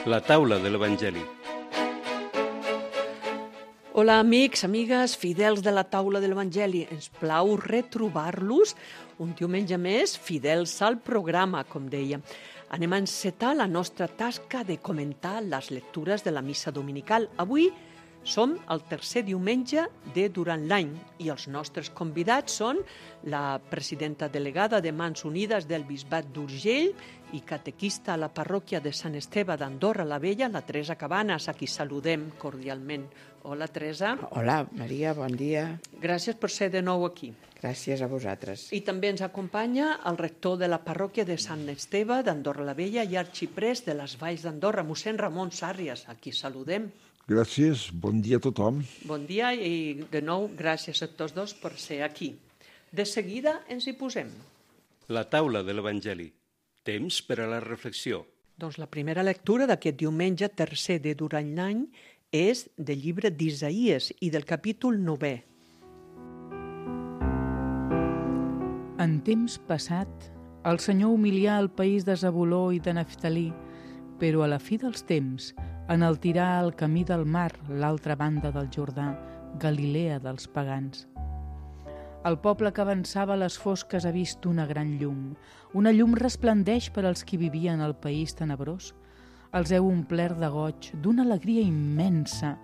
La taula de l'Evangeli. Hola, amics, amigues, fidels de la taula de l'Evangeli. Ens plau retrobar-los un diumenge més, fidels al programa, com deia. Anem a encetar la nostra tasca de comentar les lectures de la missa dominical. Avui som el tercer diumenge de durant l'any i els nostres convidats són la presidenta delegada de Mans Unides del Bisbat d'Urgell i catequista a la parròquia de Sant Esteve d'Andorra la Vella, la Teresa Cabanes, a qui saludem cordialment. Hola, Teresa. Hola, Maria, bon dia. Gràcies per ser de nou aquí. Gràcies a vosaltres. I també ens acompanya el rector de la parròquia de Sant Esteve d'Andorra la Vella i arxiprés de les Valls d'Andorra, mossèn Ramon Sàrrias, a qui saludem. Gràcies, bon dia a tothom. Bon dia i de nou gràcies a tots dos per ser aquí. De seguida ens hi posem. La taula de l'Evangeli. Temps per a la reflexió. Doncs la primera lectura d'aquest diumenge tercer de durant l'any és del llibre d'Isaïes i del capítol 9è. En temps passat, el Senyor humilià el país de Zabuló i de Neftalí, però a la fi dels temps enaltirà el camí del mar, l'altra banda del Jordà, Galilea dels pagans. El poble que avançava a les fosques ha vist una gran llum. Una llum resplendeix per als qui vivien al país tenebrós. Els heu omplert de goig, d'una alegria immensa.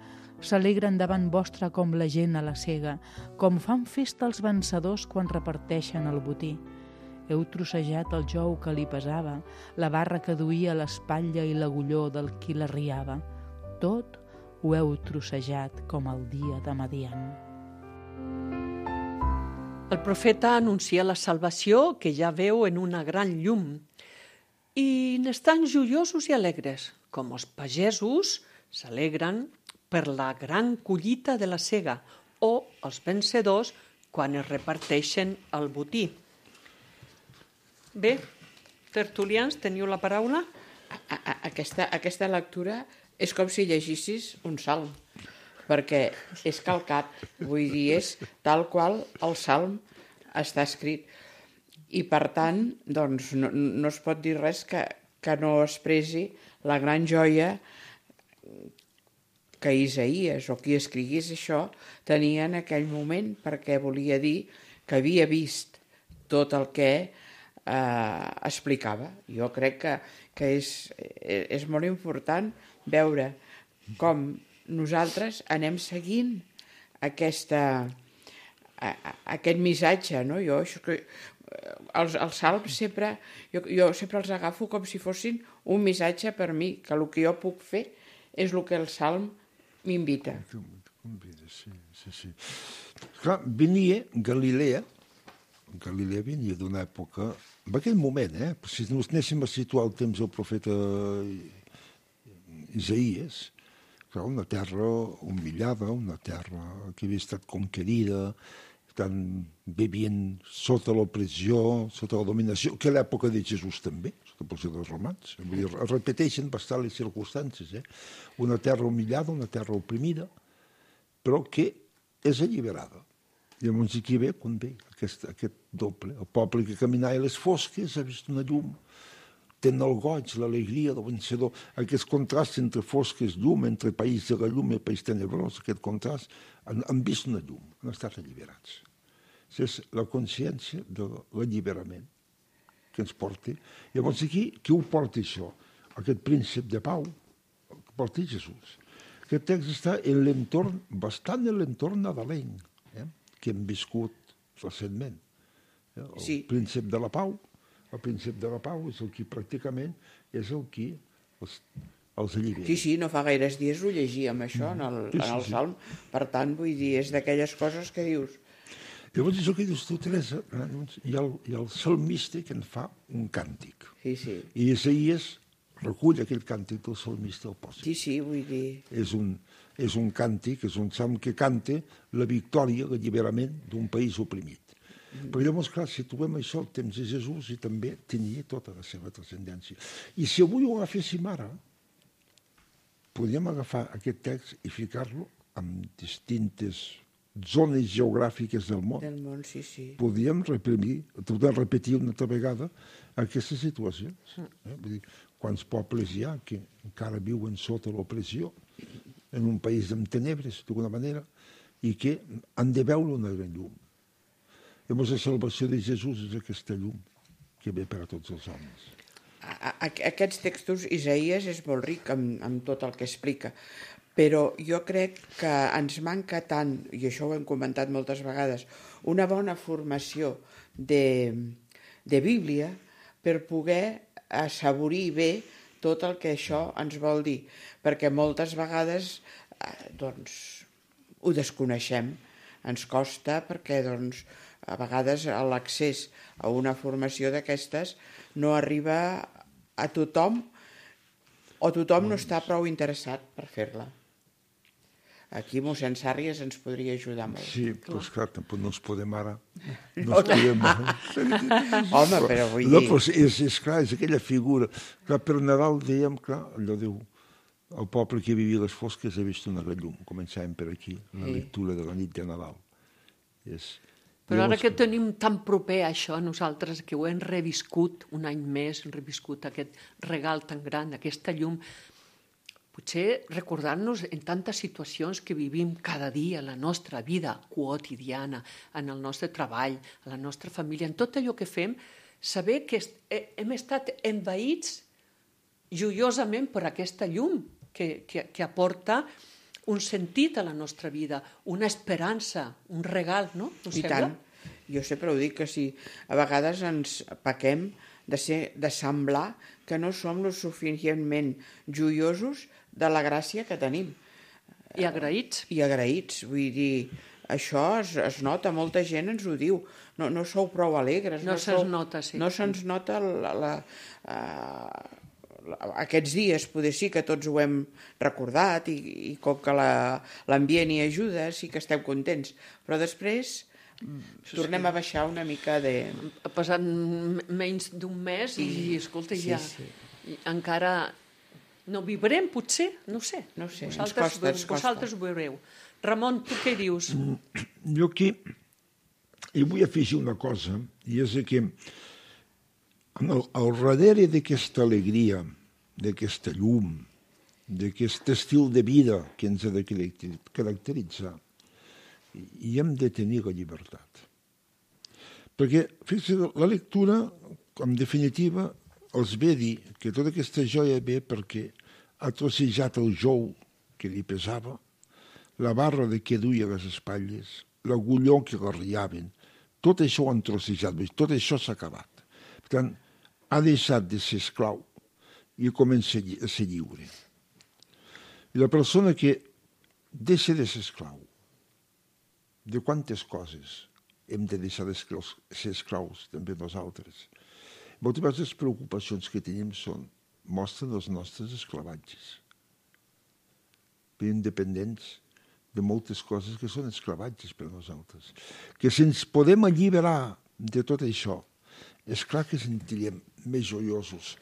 S'alegren davant vostre com la gent a la sega, com fan festa els vencedors quan reparteixen el botí. Heu trossejat el jou que li pesava, la barra que duia a l'espatlla i l'agulló del qui la riava. Tot ho heu trossejat com el dia de Madian. El profeta anuncia la salvació que ja veu en una gran llum i n'estan joiosos i alegres, com els pagesos s'alegren per la gran collita de la sega o els vencedors quan es reparteixen el botí. Bé, tertulians, teniu la paraula? Aquesta lectura és com si llegissis un salm, perquè és calcat, vull dir, és tal qual el salm està escrit. I per tant, doncs, no es pot dir res que no expressi la gran joia que Isaïes o qui escrigués això tenia en aquell moment, perquè volia dir que havia vist tot el que explicava. Jo crec que és molt important veure com nosaltres anem seguint aquest missatge, no? Els salms sempre, jo sempre els agafo com si fossin un missatge per mi, que el que jo puc fer és el que el salm m'invita. Sí. Clar, venia Galilea venia d'una època, en aquell moment, si ens anéssim a situar el temps del profeta Isaïes, una terra humillada, una terra que havia estat conquerida, vivint sota l'opressió, sota la dominació, que a l'època de Jesús també, sota l'opressió dels romans. Vull dir, es repeteixen bastant les circumstàncies. Una terra humillada, una terra oprimida, però que és alliberada. Llavors aquí ve quan ve aquest doble. El poble que caminava a les fosques ha vist una llum, tenen el goig, l'alegria del vencedor, aquest contrast entre fosques, llum, entre país de la llum i país tenebrós, aquest contrast, han vist una llum, han estat alliberats. És la consciència de l'alliberament que ens porta. Llavors aquí, qui ho porta això? Aquest príncep de pau, que porta Jesús. Aquest text està en l'entorn, bastant en l'entorn nadalenc, que hem viscut recentment. El príncep de la pau, el príncep de la pau és el que pràcticament és el que els allibera. Sí, no fa gaires dies ho llegíem, això, en el salm. Per tant, vull dir, és d'aquelles coses que dius. Llavors, això que dius tu, Teresa, hi ha el salmista que en fa un càntic. Sí. I Isaïes recull aquell càntic del salmista al posa. Sí, vull dir... És un càntic, és un salm que canta la victòria, l'alliberament d'un país oprimit. Però llavors, clar, situem això al temps de Jesús i també tenia tota la seva transcendència. I si avui ho agaféssim ara, podríem agafar aquest text i ficar-lo amb distintes zones geogràfiques del món. Del món, sí, sí. Podíem repetir una altra vegada aquestes situacions. Vull dir, quants pobles hi ha que encara viuen sota l'opressió en un país amb tenebres, d'alguna manera, i que han de veure una gran llum. Llavors, la salvació de Jesús és aquesta llum que ve per a tots els homes. Aquests textos, Isaïes és molt ric amb tot el que explica, però jo crec que ens manca tant, i això ho hem comentat moltes vegades, una bona formació de Bíblia per poder assaborir bé tot el que això ens vol dir, perquè moltes vegades doncs, ho desconeixem, ens costa perquè doncs, a vegades l'accés a una formació d'aquestes no arriba a tothom o tothom no està prou interessat per fer-la. Aquí mossèn Sàrries ens podria ajudar molt. Sí, però esclar, tampoc no ens podem ara. No ens podem ara. Home, però vull dir... No, però és clar, és aquella figura. Clar, per Nadal dèiem, clar, allò diu, el poble que vivia a les fosques ha vist una gran llum. Començàvem per aquí, la lectura de la nit de Nadal. Però ara que tenim tan proper això, nosaltres que ho hem reviscut un any més, hem reviscut aquest regal tan gran, aquesta llum, potser recordar-nos en tantes situacions que vivim cada dia, la nostra vida quotidiana, en el nostre treball, a la nostra família, en tot allò que fem, saber que hem estat envaïts joiosament per aquesta llum que aporta un sentit a la nostra vida, una esperança, un regal, no? I tant. Jo sempre ho dic, que si a vegades ens pequem de semblar que no som lo suficientment joiosos de la gràcia que tenim. I agraïts. I agraïts, vull dir, això es nota, molta gent ens ho diu, no sou prou alegres. No se'ns nota, sí. No se'ns nota aquests dies, poder sí que tots ho hem recordat i com que l'ambient hi ajuda, sí que esteu contents, però després tornem a baixar una mica de... Ha passat menys d'un mes i, escolta, ja encara no viurem, potser, no sé. No sé, vosaltres ho veureu. Ramon, tu què dius? Jo aquí hi vull afegir una cosa, i és que al darrere d'aquesta alegria, d'aquesta llum, d'aquest estil de vida que ens ha de caracteritzar, i hem de tenir la llibertat. Perquè, fixa't, la lectura, en definitiva, els ve a dir que tota aquesta joia ve perquè ha trossejat el jou que li pesava, la barra de què duia a les espatlles, l'agulló que l'arriaven, tot això ho han trossejat, tot això s'ha acabat. Per tant, ha deixat de ser esclau i comença a ser lliure. I la persona que deixa de ser esclau, de quantes coses hem de deixar de ser esclaus també nosaltres? Moltes vegades les preocupacions que tenim mostren els nostres esclavatges. Vivim dependents de moltes coses que són esclavatges per a nosaltres. Que si ens podem alliberar de tot això, és clar que sentiríem més joiosos.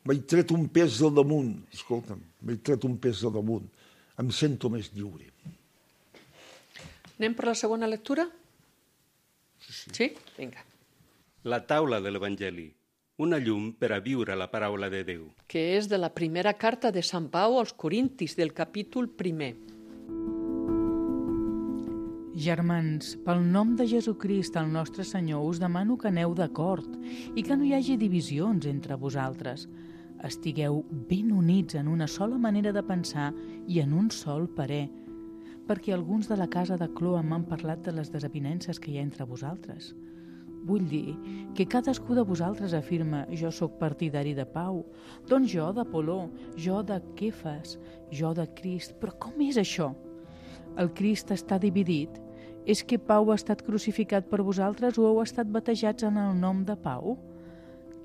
M'he tret un pes del damunt, escolta'm, m'he tret un pes del damunt, em sento més lliure. Anem per la segona lectura? Sí? Vinga. La taula de l'Evangeli, una llum per a viure la paraula de Déu. Que és de la primera carta de Sant Pau als Corintis, del capítol 1. Germans, pel nom de Jesucrist, el nostre Senyor, us demano que aneu d'acord i que no hi hagi divisions entre vosaltres. Estigueu ben units en una sola manera de pensar i en un sol parer, perquè alguns de la casa de Cloa m'han parlat de les desavinences que hi ha entre vosaltres. Vull dir que cadascú de vosaltres afirma «jo sóc partidari de Pau», doncs jo d'Apoló, jo de Kefas, jo de Crist. Però com és això? El Crist està dividit? És que Pau ha estat crucificat per vosaltres o heu estat batejats en el nom de Pau?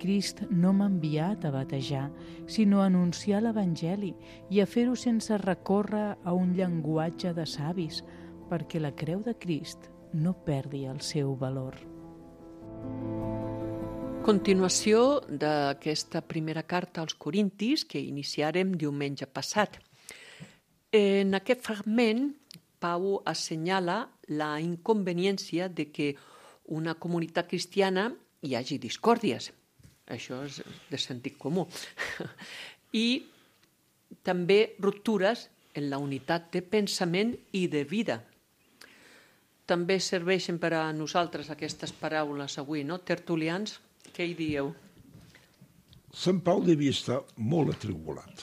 Crist no m'ha enviat a batejar, sinó a anunciar l'Evangeli i a fer-ho sense recórrer a un llenguatge de savis, perquè la creu de Crist no perdi el seu valor. Continuació d'aquesta primera carta als Corintis que iniciarem diumenge passat. En aquest fragment Pau assenyala la inconveniència de que una comunitat cristiana hi hagi discòrdies. Això és de sentit comú. I també ruptures en la unitat de pensament i de vida. També serveixen per a nosaltres aquestes paraules avui, no? Tertulians, què hi dieu? Sant Pau devia estar molt atribulat.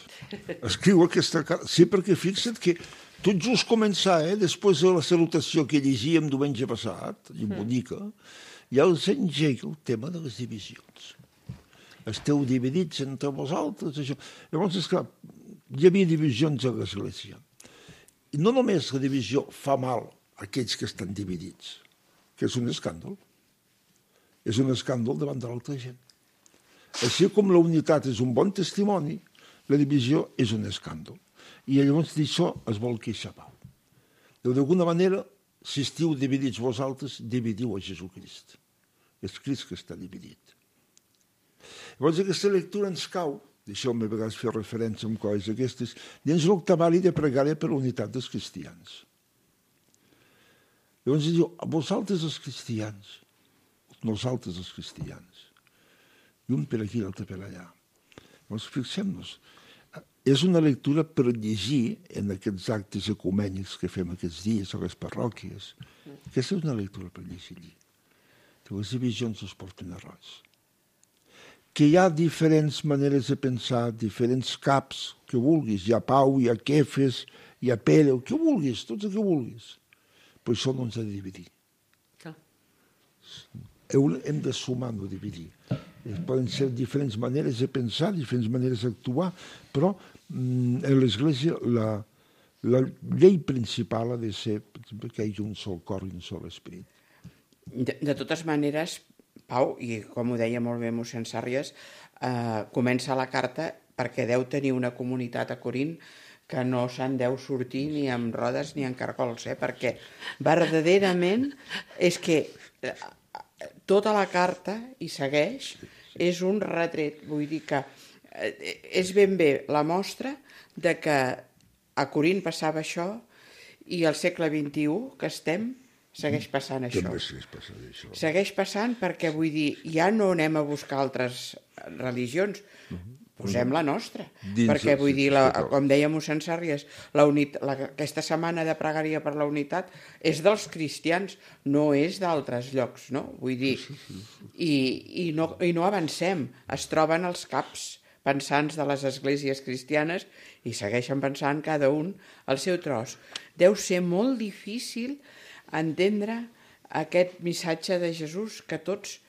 Escriu aquesta carta. Sí, perquè fixa't que tot just començar, després de la salutació que llegíem diumenge passat, i bonica, ja els engega el tema de les divisions. Esteu dividits entre vosaltres, això. Llavors, esclar, hi havia divisions a l'Església. I no només la divisió fa mal a aquells que estan dividits, que és un escàndol. És un escàndol davant de l'altra gent. Així com la unitat és un bon testimoni, la divisió és un escàndol. I llavors d'això es vol queixar Pau. D'alguna manera, si estiu dividits vosaltres, dividiu a Jesucrist. És Crist que està dividit. Llavors aquesta lectura ens cau, deixeu-me a vegades fer referència a coses aquestes, dins l'octavari de pregària per la unitat dels cristians. Llavors diu, vosaltres els cristians, nosaltres els cristians, i un per aquí, l'altre per allà. Llavors fixem-nos, és una lectura per llegir en aquests actes ecumènics que fem aquests dies a les parròquies. Aquesta és una lectura per llegir. Que les divisions es porten a res. Que hi ha diferents maneres de pensar, diferents caps que vulguis. Hi ha Pau, hi ha Kefes, hi ha Pere, el que vulguis, tots el que vulguis. Però això no ens ha de dividir. Hem de sumar, no dividir. Poden ser diferents maneres de pensar, diferents maneres d'actuar, però en l'Església la llei principal ha de ser que hi hagi un sol cor i un sol esperit. De totes maneres, Pau, i com ho deia molt bé mossèn Sàrries, comença la carta perquè deu tenir una comunitat a Corint que no se'n deu sortir ni amb rodes ni amb cargols, perquè verdaderament és que tota la carta, i segueix, és un retret. Vull dir que és ben bé la mostra de que a Corint passava això i al segle XXI que estem segueix passant això. Segueix passant perquè, vull dir, ja no anem a buscar altres religions, posem la nostra. Perquè, vull dir, com deia mossèn Sàrries, aquesta setmana de pregària per la unitat és dels cristians, no és d'altres llocs, no? Vull dir, i no avancem. Es troben els caps pensants de les esglésies cristianes i segueixen pensant cada un el seu tros. Deu ser molt difícil entendre aquest missatge de Jesús, que tots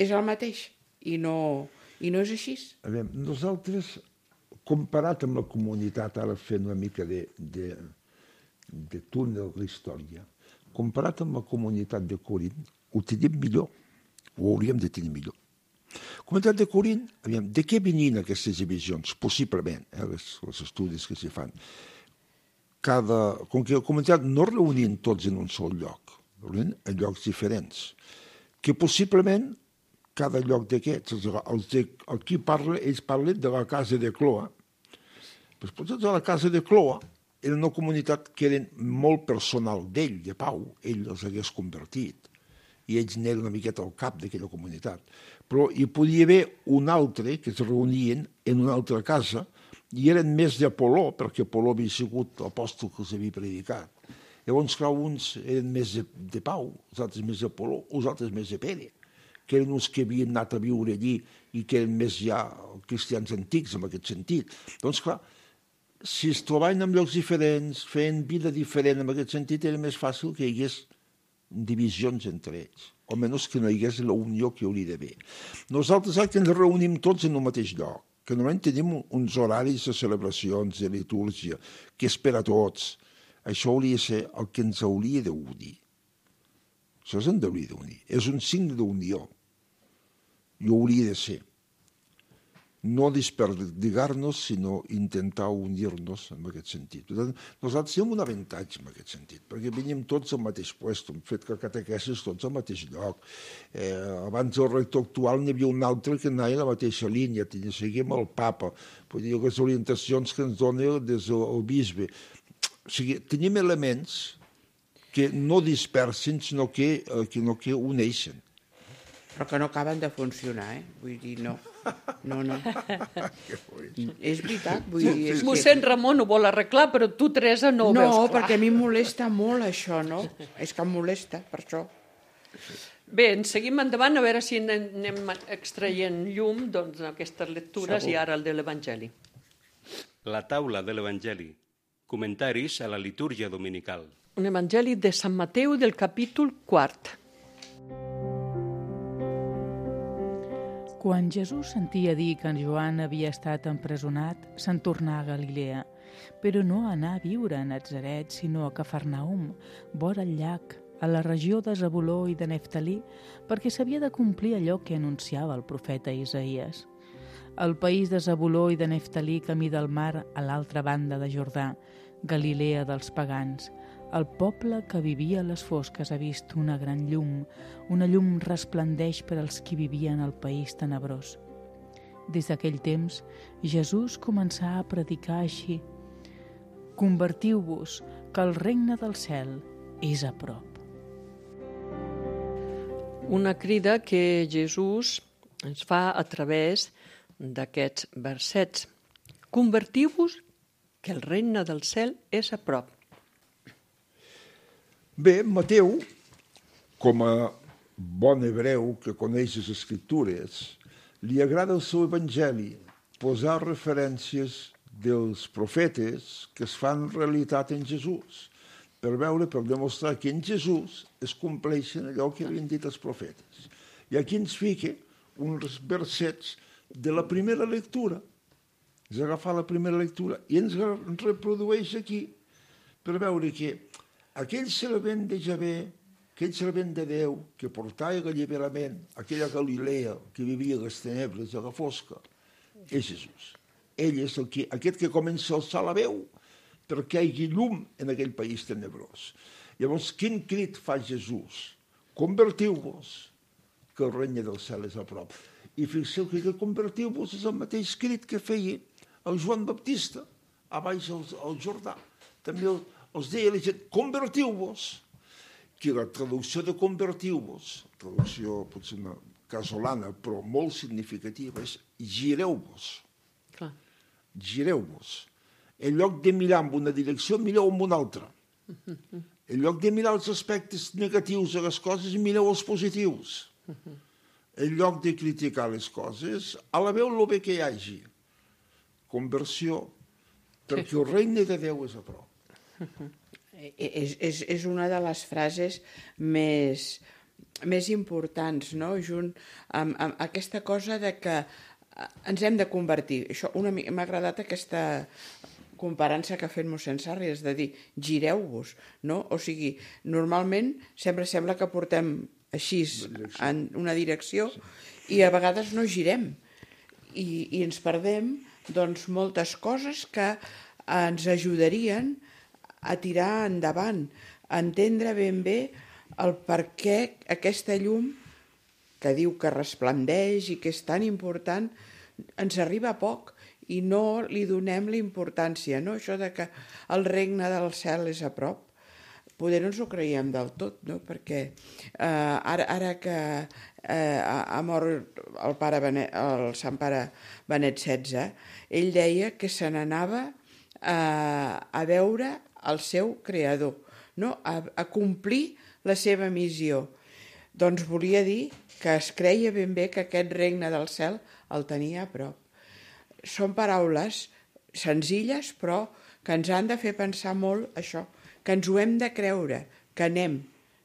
és el mateix, i no és així. A veure, nosaltres, comparat amb la comunitat, ara fent una mica de túnel de la història, comparat amb la comunitat de Corint, ho tenim millor, ho hauríem de tenir millor. La comunitat de Corint, de què venien aquestes divisions? Possiblement, els estudis que s'hi fan. Com que la comunitat no reunien tots en un sol lloc, reunien en llocs diferents, que possiblement cada lloc d'aquests, aquí ells parlen de la casa de Cloa, però potser de la casa de Cloa era una comunitat que era molt personal d'ell, de Pau, ell els hagués convertit, i ells n'eren una miqueta al cap d'aquella comunitat. Però hi podia haver un altre que es reunien en una altra casa i eren més d'Apoló, perquè Apoló havia sigut l'apòstol que els havia predicat. Llavors, clar, uns eren més de Pau, els altres més d'Apoló, els altres més de Pere, que eren uns que havien anat a viure allí i que eren més ja cristians antics en aquest sentit. Doncs, clar, si es trobaven en llocs diferents, feien vida diferent en aquest sentit, era més fàcil que hi hagués divisions entre ells, o menys que no hi hagués la unió que hauria d'haver. Nosaltres que ens reunim tots en el mateix lloc, que normalment tenim uns horaris de celebracions, de litúrgia, que és per a tots. Això hauria de ser el que ens hauria d'unir. Això ens hauria d'unir. És un signe d'unió. I ho hauria de ser. No desperdigar-nos, sinó intentar unir-nos en aquest sentit. Nosaltres tenim un avantatge en aquest sentit, perquè venim tots al mateix lloc, hem fet que catequesis tots al mateix lloc. Abans del rector actual n'hi havia un altre que anava a la mateixa línia, seguíem el papa, vull dir, les orientacions que ens dona des del bisbe. O sigui, tenim elements que no dispersen, sinó que uneixen. Però que no acaben de funcionar, Vull dir, no. No. És veritat, vull dir... És Mossèn Ramon ho vol arreglar, però tu, Teresa, no ho veus clar. No, perquè a mi em molesta molt això, no? És que em molesta, per això. Bé, ens seguim endavant, a veure si anem extraient llum d'aquestes lectures. Segur. I ara el de l'Evangeli. La taula de l'Evangeli. Comentaris a la litúrgia dominical. Un Evangeli de Sant Mateu del capítol 4. Quan Jesús sentia dir que en Joan havia estat empresonat, se'n tornà a Galilea, però no anà a viure a Natzaret, sinó a Cafarnaum, vora el llac, a la regió de Zabuló i de Neftalí, perquè s'havia de complir allò que anunciava el profeta Isaïes. El país de Zabuló i de Neftalí, camí del mar, a l'altra banda de Jordà, Galilea dels pagans. El poble que vivia a les fosques ha vist una gran llum. Una llum resplendeix per als qui vivien al país tenebrós. Des d'aquell temps, Jesús començà a predicar així: «Convertiu-vos, que el regne del cel és a prop». Una crida que Jesús ens fa a través d'aquests versets. Convertiu-vos, que el regne del cel és a prop. Bé, Mateu, com a bon hebreu que coneix les Escriptures, li agrada el seu evangeli posar referències dels profetes que es fan realitat en Jesús, per demostrar que en Jesús es compleixen allò que havien dit els profetes. I aquí ens fica uns versets de la primera lectura. És agafar la primera lectura i ens reprodueix aquí per veure que aquell servent de Javé, aquell servent de Déu que portava l'alliberament, aquella Galilea que vivia a les tenebres, a la fosca, és Jesús. Ell és aquest que comença a alçar la veu perquè hi hagi llum en aquell país tenebrós. Llavors, quin crit fa Jesús? Convertiu-vos, que el regne del cel és a prop. I fixeu que convertiu-vos és el mateix crit que feia el Joan Baptista a baix al Jordà. També els deia la gent, convertiu-vos, que la traducció de convertiu-vos, traducció potser una casolana, però molt significativa, és gireu-vos. Gireu-vos. En lloc de mirar en una direcció, mireu en una altra. En lloc de mirar els aspectes negatius de les coses, mireu els positius. En lloc de criticar les coses, alabeu el bé que hi hagi. Conversió, perquè el regne de Déu és a prop. És una de les frases més importants, no? Junt amb aquesta cosa de que ens hem de convertir. M'ha agradat aquesta comparança que ha fet mossèn Sarri, és de dir, gireu-vos, no? O sigui, normalment sempre sembla que portem així en una direcció i a vegades no girem i ens perdem doncs moltes coses que ens ajudarien a tirar endavant, a entendre ben bé el per què aquesta llum que diu que resplendeix i que és tan important ens arriba a poc i no li donem la importància, no? Això de que el regne del cel és a prop. Poder no ens ho creiem del tot, no? Perquè ara que ha mort el Sant Pare Benet XVI, ell deia que se n'anava a veure el seu creador, no? A complir la seva missió. Doncs volia dir que es creia ben bé que aquest regne del cel el tenia a prop. Són paraules senzilles, però que ens han de fer pensar molt això, que ens ho hem de creure, que anem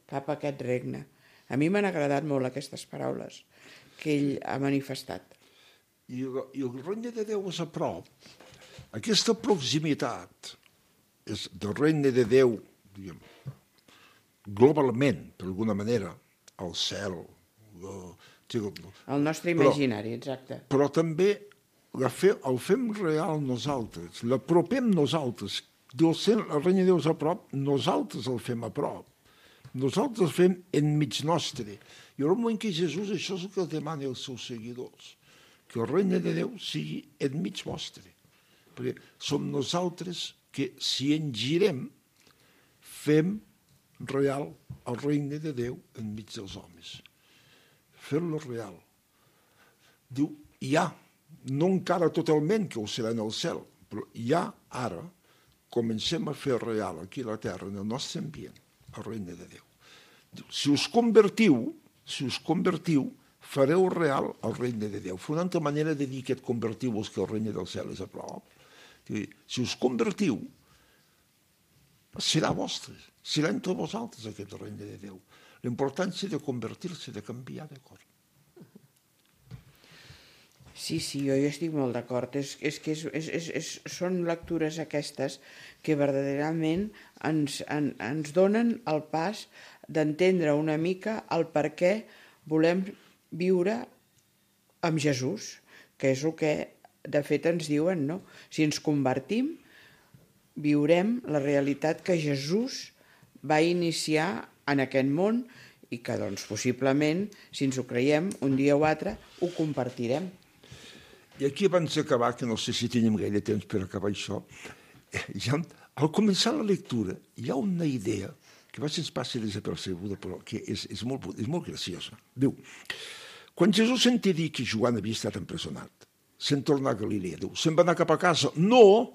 cap a aquest regne. A mi m'han agradat molt aquestes paraules que ell ha manifestat. I el regne de Déu és a prop. Aquesta proximitat del regne de Déu, diguem, globalment, d'alguna manera, al cel. El nostre imaginari, exacte. Però també el fem real nosaltres, l'apropem nosaltres. El regne de Déu és a prop, nosaltres el fem a prop. Nosaltres el fem enmig nostre. Hi haurà un moment que Jesús això és el que demana als seus seguidors, que el regne de Déu sigui enmig vostre. Perquè som nosaltres que, si ens girem, fem real el regne de Déu enmig dels homes. Fer-lo real. Diu, hi ha, no encara totalment que ho serà en el cel, però ja ara comencem a fer real aquí a la terra, en el nostre ambient, el regne de Déu. Diu, si us convertiu, fareu real el regne de Déu. Fa una altra manera de dir que et convertiu-vos que el regne del cel és a prop. Si us convertiu, serà vostre, serà entre vosaltres aquest regne de Déu. L'importància de convertir-se, de canviar de cor. Sí, jo hi estic molt d'acord. Són lectures aquestes que verdaderament ens donen el pas d'entendre una mica el per què volem viure amb Jesús, que és el que de fet ens diuen, no? Si ens convertim, viurem la realitat que Jesús va iniciar en aquest món i que, doncs, possiblement, si ens ho creiem, un dia o altre, ho compartirem. I aquí, abans d'acabar, que no sé si tenim gaire temps per acabar això, ja, al començar la lectura hi ha una idea que va se'ns passa desapercebuda, però que és molt graciosa. Diu, quan Jesús sentia dir que Joan havia estat empresonat, se'n torna a Galilea, diu, se'n va anar cap a casa. No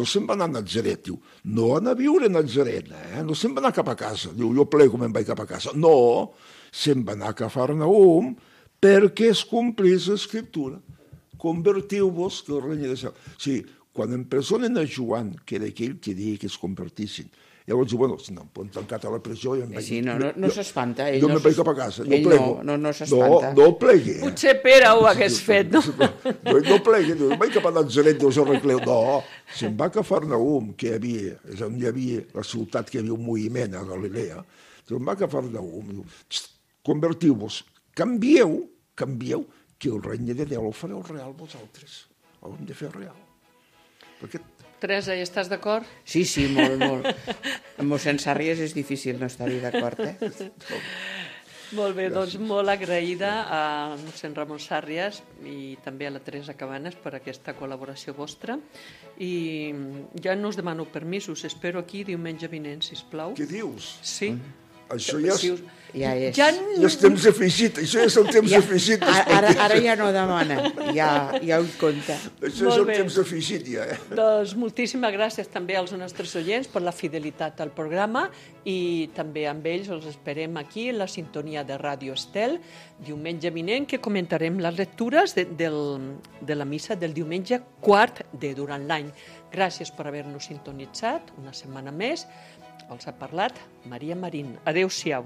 se'n va anar a Natzaret, diu, no anar a viure a Natzaret, no se'n va anar cap a casa, diu, jo plego me'n vaig cap a casa. No, se'n va anar a Cafarnaum perquè es complís l'escriptura. Convertiu-vos que el regne de cel. O sigui, quan empresonen a Joan, que era aquell que deia que es convertissin, llavors diu, bueno, no, em tancat a la presó i em vaig... Sí, no s'espanta. Jo me'n vaig cap a casa, no plego. No s'espanta. No plegui. Potser Pere ho hagués fet, no? No plegui, no vaig cap a Natzaret, us arregleu. No, se'n va a Cafarnaum, que és on hi havia la ciutat que hi havia un moviment a Galilea, se'n va a Cafarnaum, diu, convertiu-vos, canvieu, que el regne de Déu el fareu real vosaltres. Ho hem de fer real. Perquè... Teresa, hi estàs d'acord? Sí, molt. Amb mossèn Sàrries és difícil no estar-hi d'acord, Molt bé, doncs molt agraïda a mossèn Ramon Sàrries i també a la Teresa Cabanes per aquesta col·laboració vostra. I ja no us demano permisos, espero aquí diumenge vinent, sisplau. Què dius? Sí. Això ja és... Ja és temps afegit, això ja és el temps afegit. Ara ja no demana, ja ho compta. Això és el temps afegit, ja. Doncs moltíssimes gràcies també als nostres oients per la fidelitat al programa i també amb ells els esperem aquí en la sintonia de Ràdio Estel, diumenge vinent, que comentarem les lectures de la missa del diumenge quart de durant l'any. Gràcies per haver-nos sintonitzat una setmana més. Els ha parlat Maria Marín. Adéu-siau.